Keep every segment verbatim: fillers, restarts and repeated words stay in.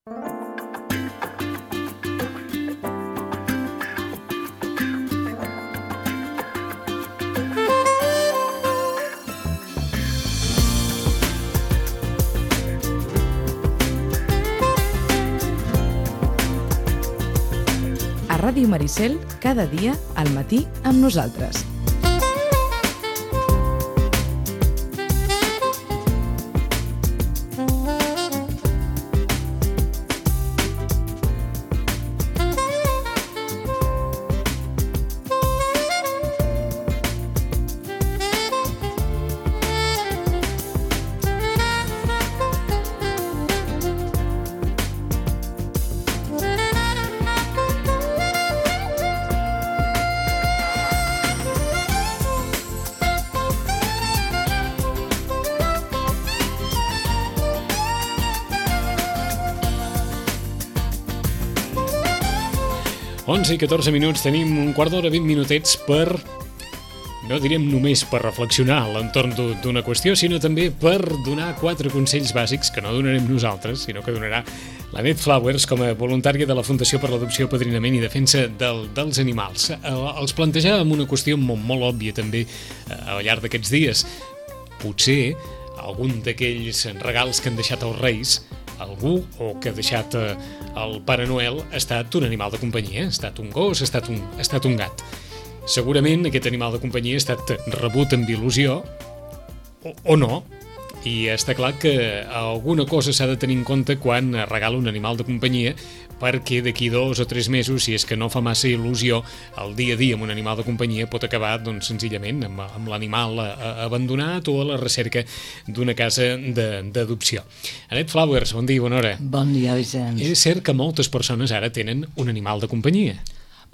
A Ràdio Maricel, cada dia, al matí, amb nosaltres. onze i catorze minuts, tenim un quart d'hora, vint minutets per, no direm només per reflexionar a l'entorn d'una qüestió, sinó també per donar quatre consells bàsics que no donarem nosaltres, sinó que donarà la Net Flowers com a voluntària de la Fundació per l'Adopció, Padrinament i Defensa del, dels Animals. Els plantejàvem una qüestió molt, molt òbvia també al llarg d'aquests dies. Potser algun d'aquells regals que han deixat els Reis, algú o que ha deixat eh, el Pare Noel ha estat un animal de companyia, ha estat un gos, ha estat un, ha estat un gat. Segurament aquest animal de companyia ha estat rebut amb il·lusió o, o no, i està clar que alguna cosa s'ha de tenir en compte quan regala un animal de companyia, perquè d'aquí dos o tres mesos, si és que no fa massa il·lusió, el dia a dia amb un animal de companyia pot acabar doncs, senzillament amb, amb l'animal abandonat o a la recerca d'una casa d'adopció. Anet Flowers, bon dia, bona hora. Bon dia, Vicenç. És cert que moltes persones ara tenen un animal de companyia.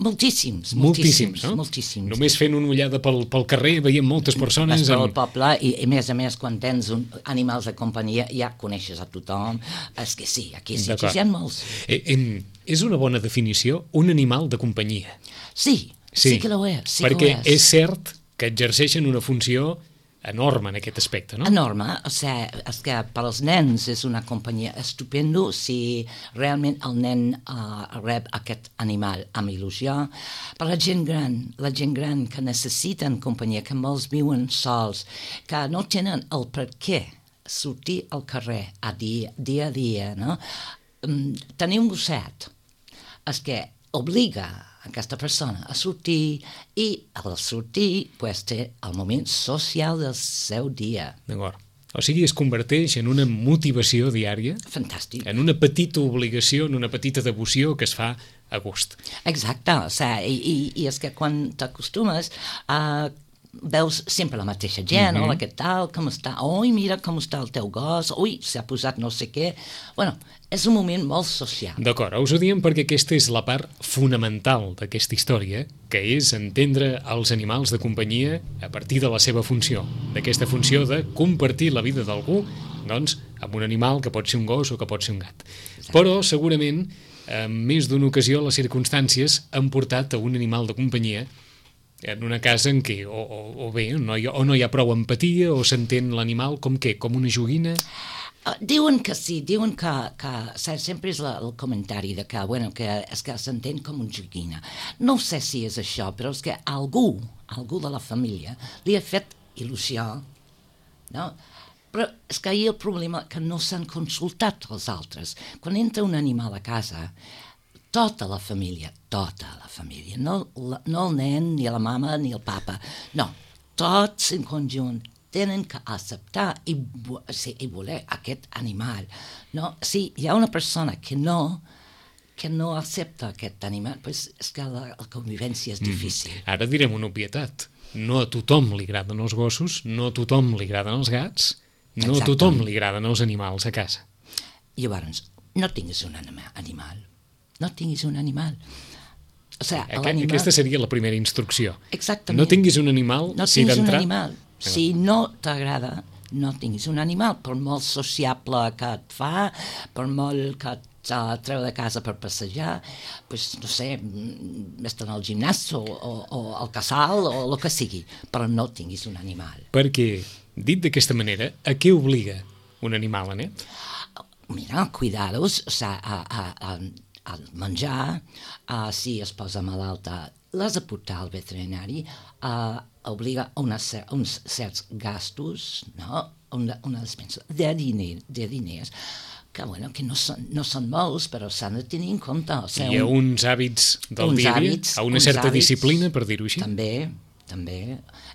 Moltíssims, moltíssims, moltíssims, no? moltíssims. Només fent una ullada pel, pel carrer veiem moltes persones... Vas pel amb... poble i, i, a més a més, quan tens un, animals de companyia, ja coneixes a tothom. És que sí, aquí sí, aquí hi ha molts. Eh, eh, és una bona definició, un animal de companyia. Sí, sí, sí que ho és. Sí perquè que ho és. és cert que exerceixen una funció enorme en aquest aspecte, no? Enorme, o sigui, és que per als nens és una companyia estupendo si realment el nen uh, rep aquest animal amb il·lusió. Per la gent gran, la gent gran que necessiten companyia, que molts viuen sols, que no tenen el per què sortir al carrer a dia, dia a dia, no? Um, tenir un gosset és que obliga aquesta persona a sortir i al sortir pues, té el moment social del seu dia. D'acord. O sigui, es converteix en una motivació diària. Fantàstic. En una petita obligació, en una petita devoció que es fa a gust. Exacte, o sigui, i, i, i és que quan t'acostumes a... veus sempre la mateixa gent, mm-hmm. hola, què tal, com està? Ui, mira com està el teu gos, ui, s'ha posat no sé què. Bueno, és un moment molt social. D'acord, us ho diem perquè aquesta és la part fonamental d'aquesta història, que és entendre els animals de companyia a partir de la seva funció, d'aquesta funció de compartir la vida d'algú, doncs, amb un animal que pot ser un gos o que pot ser un gat. Exacte. Però, segurament, en més d'una ocasió, les circumstàncies han portat a un animal de companyia en una casa en què o, o, o bé no hi ha, o no hi ha prou empatia o s'entén l'animal com què, com una joguina. Uh, diuen que sí, diuen que, que sempre és la, el comentari de que, bueno, que és que s'entén com una joguina. No sé si és això, però és que algú, algú de la família li ha fet il·lusió, no? Però és que ahir el problema que no s'han consultat els altres. Quan entra un animal a casa, tota la família, tota la família, no, no el nen, ni la mama, ni el papa, no, tots en conjunt tenen que acceptar i, sí, i voler aquest animal. No? Si hi ha una persona que no, que no accepta aquest animal, pues és que la, la convivència és difícil. Mm. Ara direm una obvietat. No a tothom li agraden els gossos, no a tothom li agraden els gats, no Exactament. A tothom li agraden els animals a casa. Llavors, no tinguis un animal. No tinguis un animal. O sigui, Aqu animal... Aquesta seria la primera instrucció. Exactament. No tinguis un animal, no si d'entrar... No tinguis un animal. Si no t'agrada, no tinguis un animal, per molt sociable que et fa, per molt que et uh, treu de casa per passejar, pues, no sé, vés-te'n al gimnàs o, o, o al casal o el que sigui, però no tinguis un animal. Perquè, dit d'aquesta manera, a què obliga un animal, Anet? mira, cuidar-los, o sigui, a, a, a, a menjar, a, si es posa malalta, l'has de portar al veterinari, a, obliga a unes, uns certs gastos, no? Una, una despensa de, diner, de diners, que, bueno, que no són, no són molts, però s'han de tenir en compte. O sigui, hi ha un, uns hàbits del uns dia a dia, hàbits, a una uns certa hàbits, disciplina, per dir-ho així. També, també.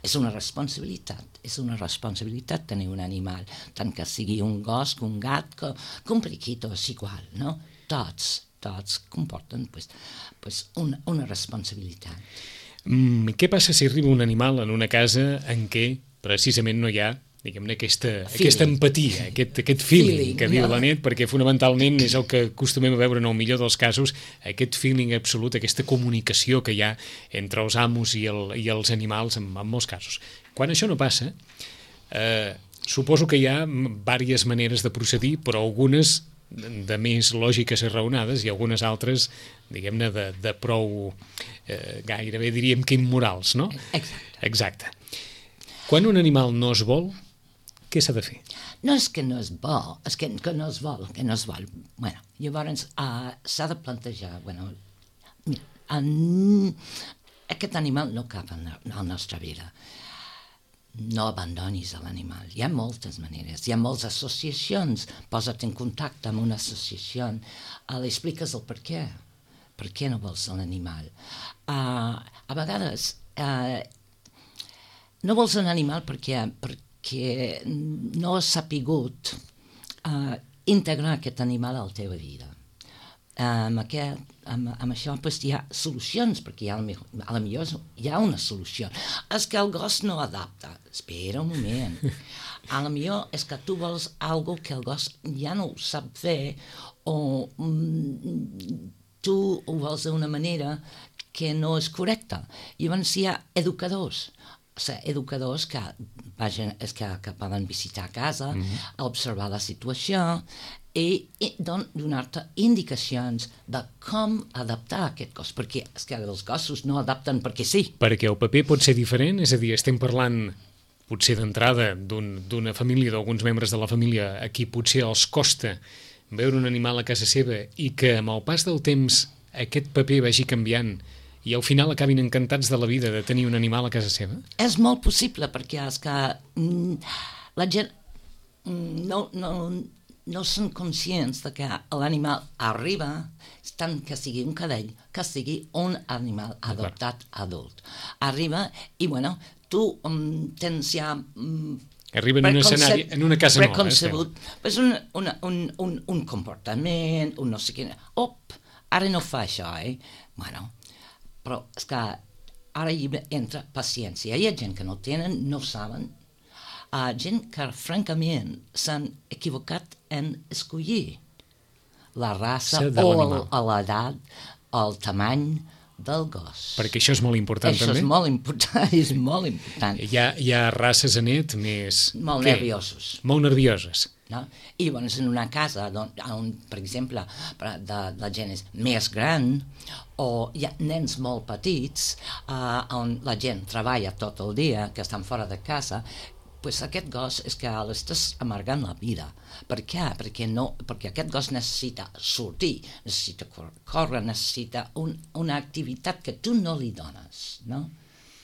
És una responsabilitat, és una responsabilitat tenir un animal, tant que sigui un gos, que un gat, que, que un periquito, és igual, no? Tots, tots comporten pues, pues una, una responsabilitat. Mm, què passa si arriba un animal en una casa en què precisament no hi ha, diguem-ne, aquesta, aquesta empatia, aquest, aquest feeling, feeling que diu no? la Net, perquè fonamentalment és el que acostumem a veure en el millor dels casos, aquest feeling absolut, aquesta comunicació que hi ha entre els amos i, el, i els animals en, en molts casos. Quan això no passa, eh, suposo que hi ha diverses maneres de procedir, però algunes de més lògiques i raonades i algunes altres, diguem-ne, de, de prou, eh, gairebé diríem que immorals, no? Exacte. Exacte. Quan un animal no es vol, què s'ha de fer? No és que no es vol, és que, que no es vol, que no es vol. Bueno, llavors uh, s'ha de plantejar, bueno, mira, en, aquest animal no cap en la, en la nostra vida. No abandonis l'animal. Hi ha moltes maneres, hi ha moltes associacions. Posa't en contacte amb una associació, uh, li expliques el per què. Per què no vols l'animal? Uh, a vegades uh, no vols un animal perquè, perquè no has sapigut uh, integrar aquest animal a la teva vida. Amb, aquest, amb, amb això pues, hi ha solucions, perquè hi ha, a la millor hi ha una solució. És que el gos no adapta. Espera un moment. A la millor és que tu vols algo que el gos ja no ho sap fer, o mm, tu ho vols d'una manera que no és correcta. Llavors hi ha educadors, o sigui, educadors que, vagin, és que, que poden visitar a casa, mm-hmm. observar la situació i, i don, donar-te indicacions de com adaptar aquest gos, perquè és que els gossos no adapten perquè sí. Perquè el paper pot ser diferent, és a dir, estem parlant potser d'entrada d'una un, família, d'alguns membres de la família a qui potser els costa veure un animal a casa seva i que amb el pas del temps aquest paper vagi canviant i al final acabin encantats de la vida de tenir un animal a casa seva? És molt possible, perquè és que mm, la gent mm, no, no, no són conscients de que l'animal arriba, tant que sigui un cadell, que sigui un animal adoptat adult. Arriba i, bueno, tu um, tens ja... Um, Arriba en un escenari, en una casa nova. Preconcebut, pues un, una, un, un, un comportament, un no sé què... Op, ara no fa això, eh? Bueno... Però és que ara hi entra paciència. Hi ha gent que no tenen, no saben. Uh, gent que, francament, s'han equivocat en escollir la raça o l'edat o el tamany del gos. Perquè això és molt important, això també? Això és molt important, és molt important. Hi ha, hi ha races, Anet, més... Molt què? nerviosos. Molt nervioses. No? I llavors en una casa on, on per exemple de, la gent és més gran o hi ha nens molt petits uh, on la gent treballa tot el dia, que estan fora de casa, pues aquest gos és que l'estàs amargant la vida. Per què? Perquè, no, perquè aquest gos necessita sortir, necessita córrer, necessita un, una activitat que tu no li dones, no?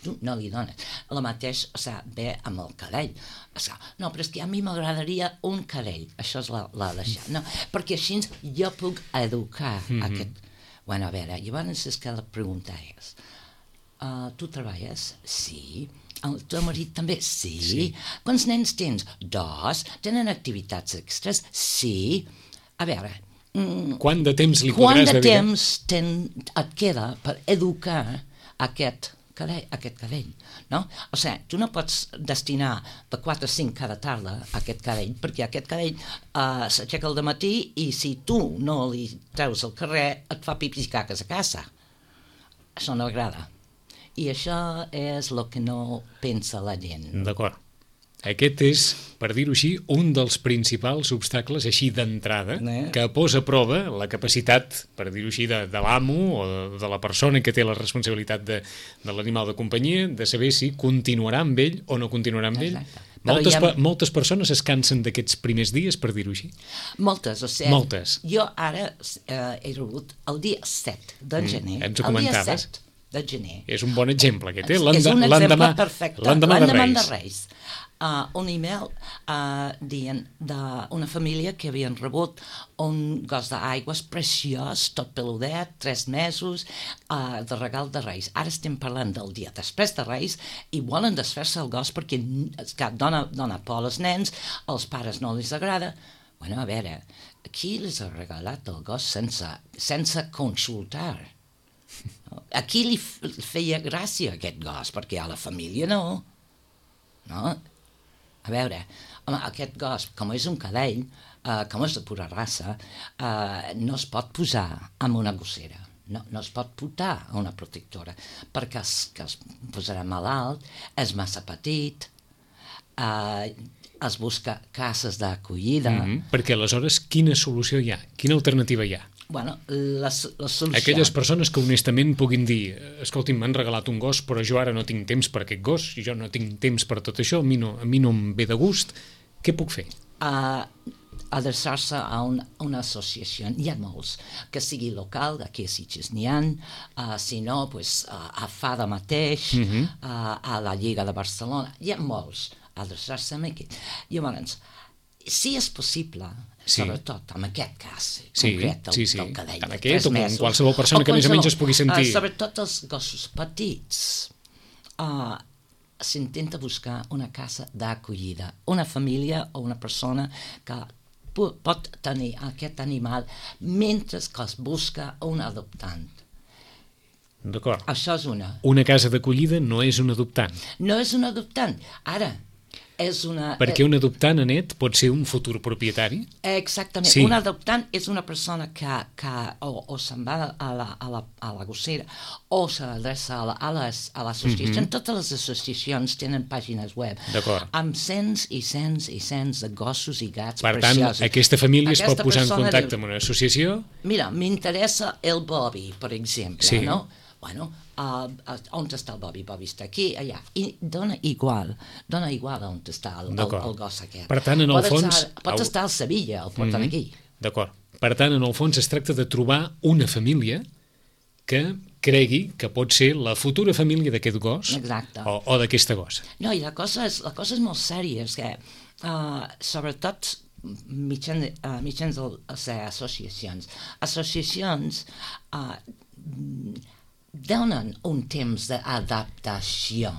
Tu no li dones. El mateix, o sigui, ve amb el cadell. O sigui, no, però és que a mi m'agradaria un cadell. Això és la, la deixar, no? Perquè així jo puc educar mm-hmm. aquest... Bueno, a veure, llavors és que la pregunta és, uh, tu treballes? Sí. El teu marit també? Sí. sí. Quants nens tens? Dos. Tenen activitats extres? Sí. A veure... Mm, quant de temps li podràs dedicar? Quant de temps ten, et queda per educar aquest cadell, aquest cadell, no? O sigui, tu no pots destinar de quatre a cinc cada tarda a aquest cadell, perquè aquest cadell uh, s'aixeca al dematí i si tu no li treus al carrer et fa pipis i caques a casa. Això no agrada. I això és el que no pensa la gent. D'acord. Aquest és, per dir-ho així, un dels principals obstacles, així d'entrada, Eh? que posa a prova la capacitat, per dir-ho així, de, de l'amo o de, de la persona que té la responsabilitat de, de l'animal de companyia, de saber si continuarà amb ell o no continuarà amb ell. Exacte. Moltes, Però hi ha- pe- moltes persones es cansen d'aquests primers dies, per dir-ho així. Moltes, o sigui, Moltes. jo ara eh, he rebut el dia set de gener, ens ho el dia comentaves. set de gener. És un bon exemple, aquest, eh? És L'enda- un exemple l'endemà perfecte, l'endemà de l'endemà Reis. de Reis. Uh, un email uh, dient d'una família que havien rebut un gos d'aigües preciós, tot peludet, tres mesos, uh, de regal de Reis. Ara estem parlant del dia després de Reis i volen desfer-se el gos perquè és que dona, dona por als nens, als pares no els agrada. Bueno, a veure, qui les ha regalat el gos sense, sense consultar? A qui li f- feia gràcia aquest gos? Perquè a la família no. No? A veure, home, aquest gos, com és un cadell, eh, com és de pura raça, eh, no es pot posar amb una gossera. No, no es pot portar a una protectora, perquè es, que es posarà malalt, és massa petit, eh, es busca cases d'acollida. Mm -hmm. Perquè aleshores, quina solució hi ha? Quina alternativa hi ha? Bueno, la, la solució... Aquelles persones que honestament puguin dir escolti'm, m'han regalat un gos, però jo ara no tinc temps per aquest gos, jo no tinc temps per tot això, a mi no, a mi no em ve de gust, què puc fer? Uh, adreçar-se a, un, a una associació. Hi ha molts, que sigui local, aquí a Sitges n'hi ha, uh, si no, pues, uh, a FADA mateix, uh -huh. uh, a la Lliga de Barcelona, hi ha molts, adreçar-se a aquí. Llavors, si és possible, Sí. sobretot en aquest cas Sí, concret del, sí, sí. del cadell, Tant de aquest tres o com mesos, qualsevol persona o que més o menys es qualsevol, pugui sentir. Uh, sobretot els gossos petits, uh, s'intenta buscar una casa d'acollida, una família o una persona que pu- pot tenir aquest animal mentre que es busca un adoptant. D'acord. Això és una. Una casa d'acollida no és un adoptant, No és un adoptant. Ara, és una... perquè un adoptant, Anet, pot ser un futur propietari. Eh, Exactament. Sí. Un adoptant és una persona que, que o, o se'n va a la, a la, a la gossera o s'adreça a la- a les- a l'associació. Mm -hmm. Totes les associacions tenen pàgines web D'acord. amb cents i cents i cents de gossos i gats Per tant, preciosos. aquesta família es pot Aquesta posar en persona contacte diu, amb una associació. mira, m'interessa el Bobby, per exemple, Sí. no? Bueno, uh, uh, on està el Bobby? Bobby està aquí, allà. I dona igual, dona igual on està el, el, D'acord. el gos aquest. Per tant, en el pot fons- Estar, pot au- estar al Sevilla, el porten Mhm. aquí. D'acord. Per tant, en el fons es tracta de trobar una família que cregui que pot ser la futura família d'aquest gos Exacte. o, o d'aquesta gossa. No, i la cosa és, la cosa és molt sèria, és que, uh, sobretot, mitjans, uh, mitjans de, o sigui, associacions. Associacions uh, donen un temps d'adaptació.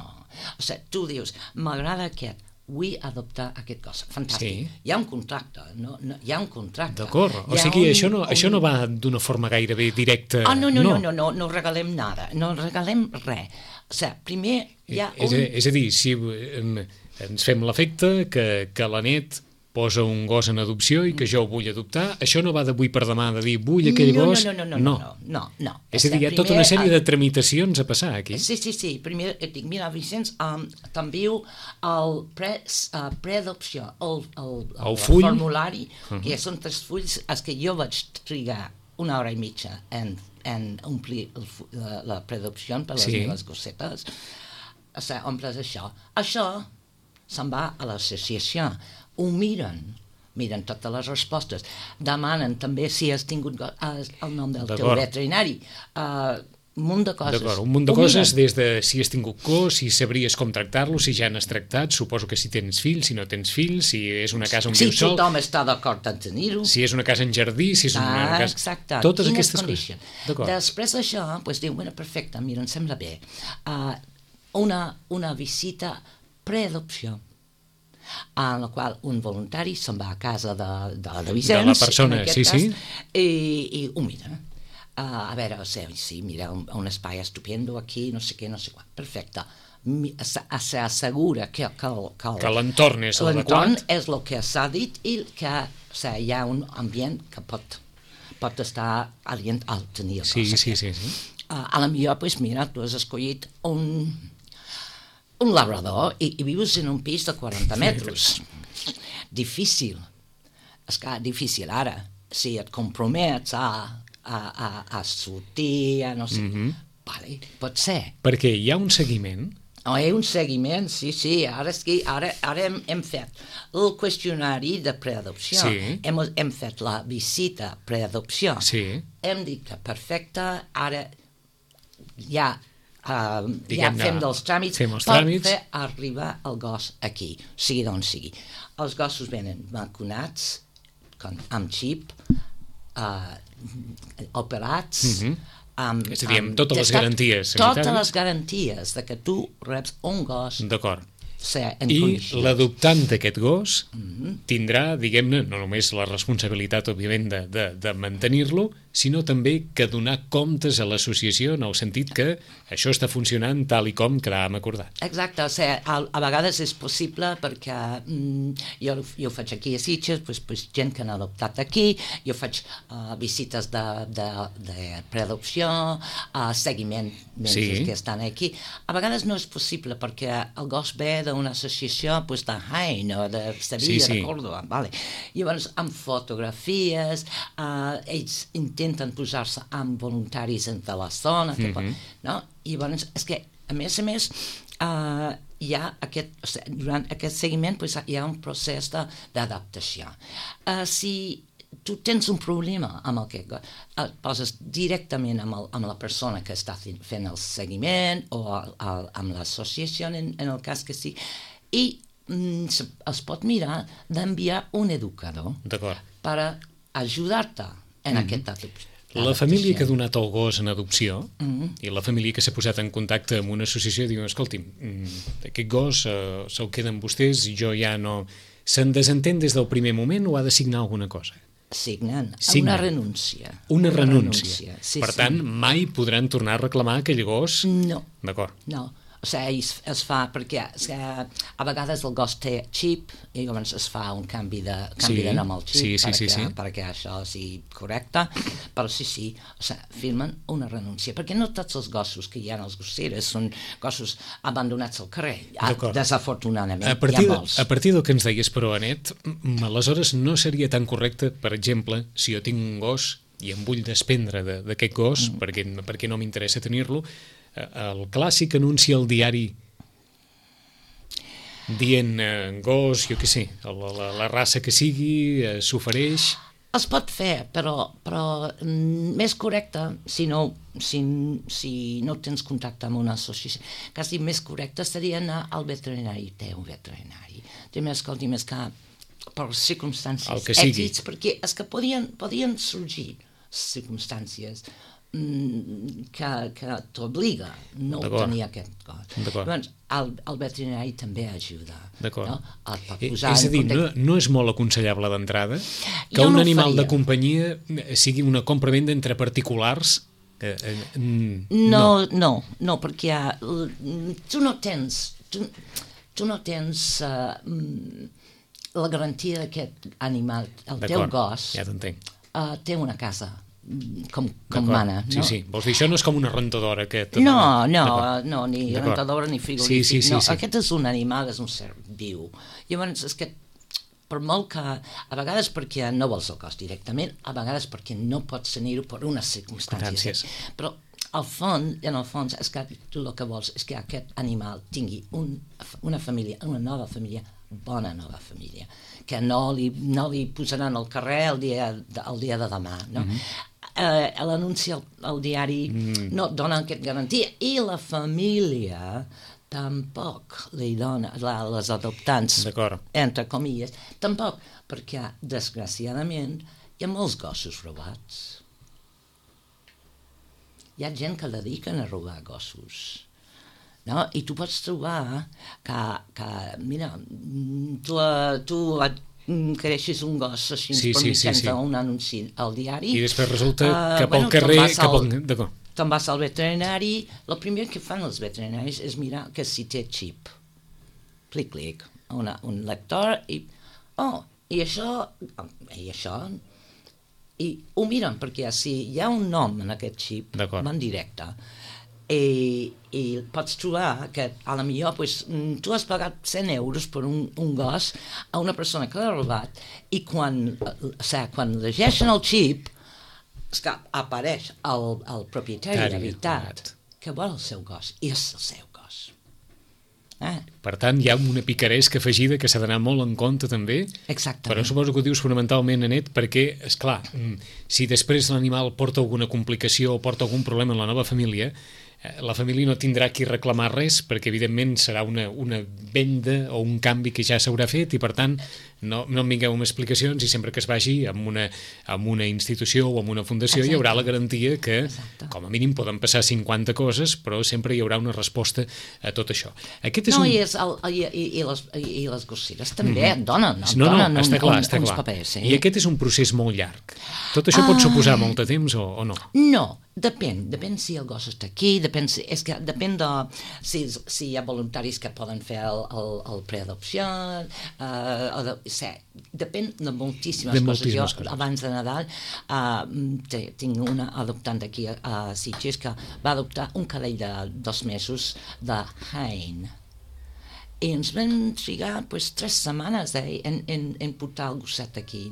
O sigui, tu dius, m'agrada aquest, vull adoptar aquest gos. Fantàstic. Sí. Hi ha un contracte, no, no, hi ha un contracte. D'acord. O Hi ha sigui, un- això, no, un- això no va d'una forma gairebé directa. Ah, no, no, no, no, no, no regalem nada, no regalem res. O sigui, primer hi ha És, un... a, és a dir, si em, ens fem l'efecte que, que l'Anet posa un gos en adopció i que jo ho vull adoptar, això no va d'avui per demà de dir vull aquell no, gos. No, no, no, no, no, no, no. És a dir, hi ha tota una sèrie de tramitacions a passar aquí. Sí, sí, sí. Primer et dic, mira, Vicenç, um, t'envio el pre, uh, preadopció, el, el, el, El full. formulari, uh -huh. que són tres fulls, és que jo vaig trigar una hora i mitja en, en omplir el, fu- la, la preadopció per les Sí. meves gossetes. O sigui, omples això. Això se'n va a l'associació. Ho miren, miren totes les respostes, demanen també si has tingut go- eh, el nom del teu D'acord. veterinari, uh, un munt de coses. D'acord, un munt de Ho coses, miren. des de si has tingut cos, si sabries com tractar-lo, si ja n'has tractat, suposo que si tens fills, si no tens fills, si és una casa on Si vius sol, tothom està d'acord en tenir-ho. si és una casa en jardí, si és una Ah, casa... exacte. Totes Quines aquestes condicions. coses. D'acord. Després d'això, doncs diu, bueno, perfecte, mira, em sembla bé. Uh, una, una visita preadopció, en la qual un voluntari se'n va a casa de, de, de Vicenç, De la persona, en aquest sí, cas, sí. i, i ho mira. Uh, a veure, o sigui, sí, mira, un, un espai estupendo aquí, no sé què, no sé quan. Perfecte. Mi- se- S'assegura que, que, el- que, el- Que l'entorn és l'entorn l'adequat. és el que s'ha dit i que, o sigui, hi ha un ambient que pot, pot estar adient al tenir el Sí, cos sí, aquest. sí, sí. Uh, a la millor, pues, mira, tu has escollit un, un labrador i, i vius en un pis de quaranta metres. Difícil. És clar, difícil ara. Si et compromets a, a, a, a sortir, a no sé... Mm-hmm. Vale, pot ser. Perquè hi ha un seguiment... Oh, hi ha un seguiment, sí, sí. Ara, és que, ara, ara hem, hem fet el qüestionari de preadopció. Sí. Hem, hem fet la visita preadopció. Sí. Hem dit que perfecte, ara ja, uh, ja Diguem-ne, fem dels tràmits fem els per tràmits. fer arribar el gos aquí, sigui d'on sigui. Els gossos venen vacunats, con, amb xip, uh, operats... Mm-hmm. Amb, és a dir, amb amb totes les garanties sanitàries. Totes les garanties de que tu reps un gos. D'acord. Ser en I condicions. l'adoptant d'aquest gos Mm-hmm. tindrà, diguem-ne, no només la responsabilitat, òbviament, de, de, de mantenir-lo, sinó també que donar comptes a l'associació en el sentit que això està funcionant tal i com quedàvem acordat. Exacte, o sigui, a, a vegades és possible perquè mm, jo, jo ho faig aquí a Sitges, pues, pues, gent que han adoptat aquí, jo faig uh, visites de, de, de preadopció, uh, seguiment mentre Sí. que estan aquí. A vegades no és possible perquè el gos ve d'una associació pues, de Jaén o de Sevilla, Sí, sí. de Córdoba, vale. Llavors, amb fotografies, uh, ells intenten posar-se amb voluntaris de la zona, que, Mhm. no? I llavors, és que, a més a més, uh, hi ha aquest, o sigui, durant aquest seguiment pues, hi ha un procés de- d'adaptació. Uh, si tu tens un problema amb el que et poses directament amb, el, amb la persona que està fent el seguiment o el, el, amb l'associació en, en el cas que sí, i mm, se- es pot mirar d'enviar un educador D'acord. per ajudar-te en mm-hmm. aquest adopció. La família que ha donat el gos en adopció Mm-hmm. i la família que s'ha posat en contacte amb una associació diu, escolti'm, mm, aquest gos eh, se'l queden vostès i jo ja no... Se'n desentén des del primer moment o ha de signar alguna cosa? Signen, Signen. una renúncia. Una renúncia. Sí, per sí. tant, mai podran tornar a reclamar aquell gos... No, D'acord. no. O sigui, es, es fa perquè és que a vegades el gos té xip i llavors es fa un canvi de, canvi Sí, de nom al xip sí, sí, perquè, sí, sí. perquè això sigui correcte, però sí, sí, o sigui, firmen una renúncia, perquè no tots els gossos que hi ha als gosseres són gossos abandonats al carrer, ah, D'acord. desafortunadament, A partir, hi ha de, molts. a partir del que ens deies, però, Anet, mm, aleshores no seria tan correcte, per exemple, si jo tinc un gos i em vull desprendre de- d'aquest gos, mm. perquè, perquè no m'interessa tenir-lo, eh, el clàssic anunci al diari dient eh, gos, jo què sé, la, la, la raça que sigui, eh, s'ofereix... Es pot fer, però, però mm, més correcte, si no, si, si no tens contacte amb una associació, quasi més correcte seria anar al veterinari, té un veterinari. Té més, escolti, més que per circumstàncies, El que sigui. èxits, perquè és que podien, podien sorgir circumstàncies mm, que, que t'obliga no D'acord. tenir aquest gos. D'acord. Llavors, el, el veterinari també ajuda. D'acord. No? Et pot Eh, posar És a en dir, contacte- no, no és molt aconsellable d'entrada que Jo un no ho animal de faria. companyia eh, sigui una compra-venda entre particulars. Eh, eh, mm, No, no, no, perquè uh, tu no tens, tu, tu no tens uh, mm, la garantia d'aquest animal, el teu D'acord, gos, ja t'entenc. uh, té una casa, mm, com, com D'acord. mana, no? Sí, sí. Vols dir, això no és com una rentadora que... et- No, no, D'acord. no, ni D'acord. rentadora ni frigorífic, Sí, sí, sí, no, sí. aquest és un animal, és un ser viu. Llavors, és que per molt que, a vegades perquè no vols el cos directament, a vegades perquè no pots tenir-ho per unes circumstàncies. Circumstàncies. Però al fons, en el fons, és que tu el que vols és que aquest animal tingui un, una família, una nova família, bona nova família, que no li, no li posaran al carrer el dia, el dia de demà, no? Mm-hmm. Eh, l'anunci al, al diari mm. no et dona aquest garantia, i la família tampoc li dona, la, les adoptants, D'acord. entre comilles, tampoc, perquè, desgraciadament, hi ha molts gossos robats. Hi ha gent que dediquen a robar gossos. No? I tu pots trobar que, que mira, tu, tu et creixes un gos així Sí, per sí, sí, mitjans sí. d'un anunci al diari. I després resulta Ah, cap bueno, al carrer... te'n vas Cap al... al- D'acord. Te'n vas al veterinari, el primer que fan els veterinaris és mirar que si té xip. Clic-clic, una, un lector, i... Oh, i això... I això... I ho miren, perquè si hi ha un nom en aquest xip, D'acord. van directe. I, i pots trobar que a la millor pues, tu has pagat cent euros per un, un gos a una persona que l'ha robat i quan, o sigui, quan llegeixen el xip és que apareix el, el propietari de veritat que vol el seu gos i és el seu gos. Eh? Per tant, hi ha una picaresca afegida que s'ha d'anar molt en compte també. Exactament. Però suposo que ho dius fonamentalment, Anet, perquè, esclar, si després l'animal porta alguna complicació o porta algun problema en la nova família, la família no tindrà qui reclamar res perquè evidentment serà una, una venda o un canvi que ja s'haurà fet i per tant no, no em vingueu amb explicacions i sempre que es vagi amb una, amb una institució o amb una fundació Exacte. Hi haurà la garantia que Exacte. Com a mínim poden passar cinquanta coses però sempre hi haurà una resposta a tot això. Aquest és no, un... i, és el, i, i, i, les, i les gosseres també mm-hmm. donen, no, no, donen està un, clar, un, està uns clar. papers. Eh? I aquest és un procés molt llarg. Tot això ah. pot suposar molt de temps o, o no? No, depèn, depèn si el gos està aquí, depèn si, és que depèn de si, si hi ha voluntaris que poden fer el, el, el preadopció, uh, o de, sé, depèn de moltíssimes, de coses. moltíssimes jo, coses. Abans de Nadal, uh, tinc una adoptant aquí a, a Sitges que va adoptar un cadell de dos mesos de Hain. I ens vam trigar pues, tres setmanes eh, en, en, en portar el gosset aquí.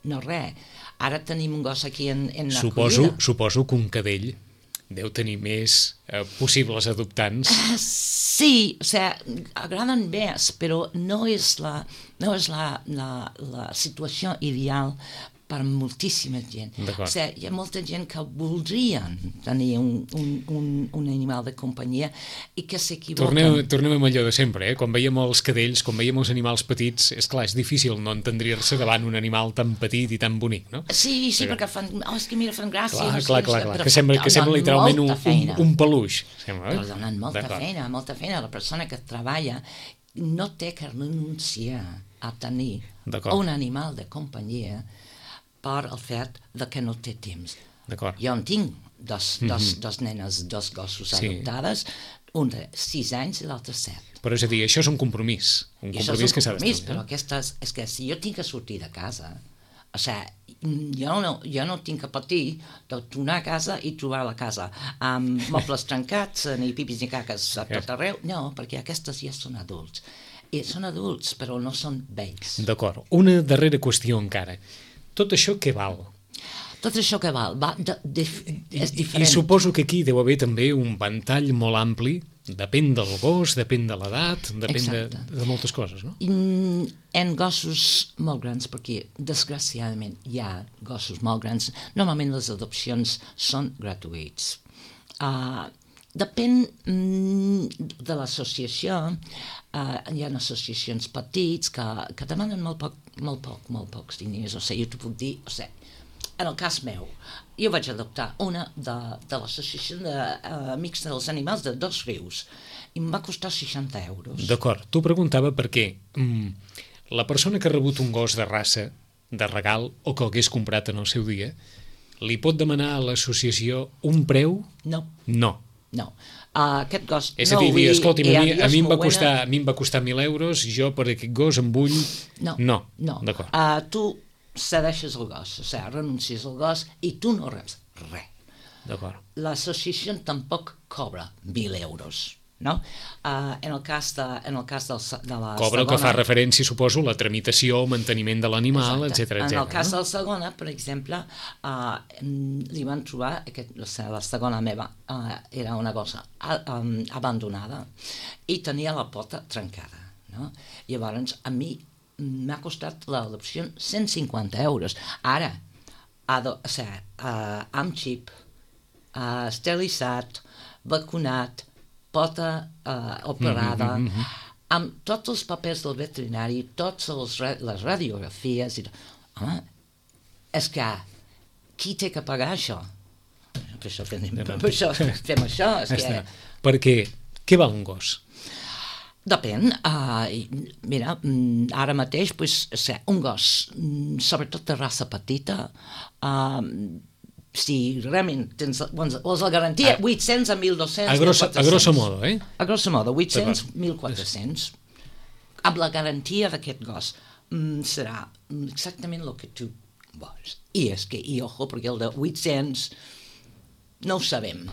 No res. Ara tenim un gos aquí en, en la suposo, collida. Suposo que un cadell deu tenir més eh, possibles adoptants. Uh, sí, o sigui, agraden més, però no és la, no és la, la, la situació ideal per moltíssima gent. O sigui, hi ha molta gent que voldrien tenir un, un, un, un animal de companyia i que s'equivoquen. Tornem, tornem amb allò de sempre, eh? Quan veiem els cadells, quan veiem els animals petits, és clar, és difícil no entendrir-se davant un animal tan petit i tan bonic, no? Sí, sí, perquè fan, oh, és que mira, fan gràcia. Clar, clar, clar, clar. Que sembla, que sembla literalment un, un, un peluix. Sembla, eh? Però donen molta feina, molta feina. La persona que treballa no té que renunciar a tenir un animal de companyia per el fet de que no té temps. Jo en tinc dos, dos, mm-hmm. dos nenes, dos gossos sí. adoptades, un de sis anys i l'altre set. Però és a dir, això és un compromís. Un I compromís és un que s'ha compromís, d'estar. Però aquestes, és que si jo tinc que sortir de casa, o sigui, jo no, jo no tinc que patir de tornar a casa i trobar la casa amb mobles trencats, ni pipis ni caques a tot arreu. No, perquè aquestes ja són adults. I són adults, però no són vells. D'acord. Una darrera qüestió encara. Tot això què val? Tot això què val? Va, de, de, és diferent. I suposo que aquí deu haver també un ventall molt ampli, depèn del gos, depèn de l'edat, depèn de, de moltes coses, no? En gossos molt grans, perquè desgraciadament hi ha gossos molt grans, normalment les adopcions són gratuïts. Uh, depèn mm, de l'associació, uh, hi ha associacions petits que, que demanen molt poc, molt poc, molt pocs diners, o sigui, jo t'ho puc dir, o sigui, en el cas meu, jo vaig adoptar una de, de l'associació d'Amics uh, dels Animals de Dos Rius i em va costar seixanta euros. D'acord, t'ho preguntava perquè mm, la persona que ha rebut un gos de raça, de regal, o que l'hagués comprat en el seu dia, li pot demanar a l'associació un preu? No. No. No. Uh, aquest gos... És a dir, no dir escolti, a, mi, a, mi em va buena... costar, a mi em va costar mil euros, jo per aquest gos em vull... No. No. no. D'acord. Uh, tu cedeixes el gos, o sigui, renuncies al gos i tu no reps res. D'acord. L'associació tampoc cobra mil euros. No? Uh, en el cas de, en el cas del, de la Cobra segona... que fa referència, suposo, la tramitació, manteniment de l'animal, etcètera, etcètera. En el cas no? de la segona, per exemple, uh, li van trobar, aquest, la segona meva uh, era una gossa um, abandonada i tenia la pota trencada. No? Llavors, a mi m'ha costat l'adopció cent cinquanta euros. Ara, ado, o sigui, uh, amb xip, uh, esterilitzat, vacunat, pota uh, operada, mm -hmm. amb tots els papers del veterinari, totes les, les radiografies... I... Home, és que qui té que pagar això? Per això fem, per això, fem això. És que... Perquè què val un gos? Depèn. Uh, mira, ara mateix, pues, o sigui, un gos, sobretot de raça petita, uh, si realment tens vols la garantia, vuit-cents a mil dos-cents, a grosso, a grosso modo, eh? A grosso modo, vuit-cents a mil quatre-cents. Amb la garantia d'aquest gos mm, serà exactament el que tu vols. I és que, i ojo, perquè el de vuit-cents no ho sabem.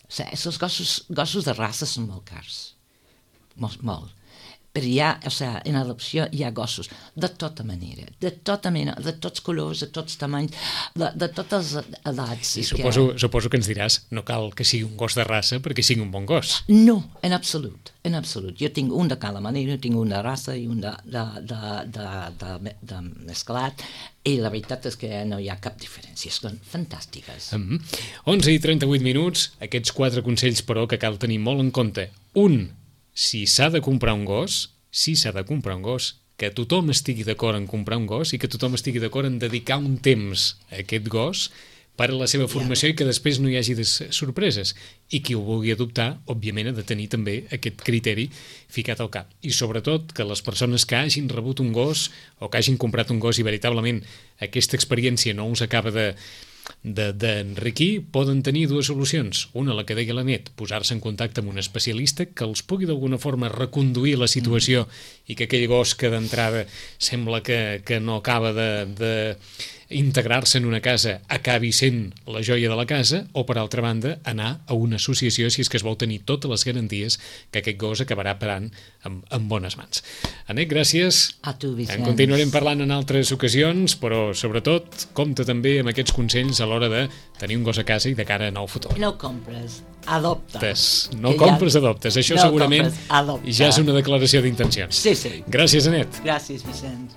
O sigui, els gossos, gossos de raça són molt cars, molt, molt. Però hi ha, o sigui, en adopció hi ha gossos de tota manera, de tota mena, de tots colors, de tots tamanys, de, de totes edats. I suposo que... suposo que ens diràs, no cal que sigui un gos de raça perquè sigui un bon gos. No, en absolut, en absolut. Jo tinc un de cada manera, tinc un de raça i un de, de, de, de, de, de, de mesclat, i la veritat és que no hi ha cap diferència, són fantàstiques. Mm-hmm. onze i trenta-vuit minuts, aquests quatre consells, però, que cal tenir molt en compte. Un, si s'ha de comprar un gos, si s'ha de comprar un gos, que tothom estigui d'acord en comprar un gos i que tothom estigui d'acord en dedicar un temps a aquest gos per a la seva formació i que després no hi hagi sorpreses. I qui ho vulgui adoptar, òbviament, ha de tenir també aquest criteri ficat al cap. I sobretot que les persones que hagin rebut un gos o que hagin comprat un gos i veritablement aquesta experiència no us acaba de d'enriquir, poden tenir dues solucions. Una, la que deia la Net, posar-se en contacte amb un especialista que els pugui d'alguna forma reconduir la situació mm. i que aquell gos que d'entrada sembla que, que no acaba de, de integrar-se en una casa acabi sent la joia de la casa, o per altra banda anar a una associació si és que es vol tenir totes les garanties que aquest gos acabarà parant en, en bones mans. Anet, gràcies. A tu, Vicenç. En continuarem parlant en altres ocasions, però sobretot compta també amb aquests consells a l'hora de tenir un gos a casa i de cara a nou futur. No compres, adopta. No I compres, ja... adoptes. Això no segurament compres, ja és una declaració d'intencions. Sí, sí. Gràcies, Anet. Gràcies, Vicenç.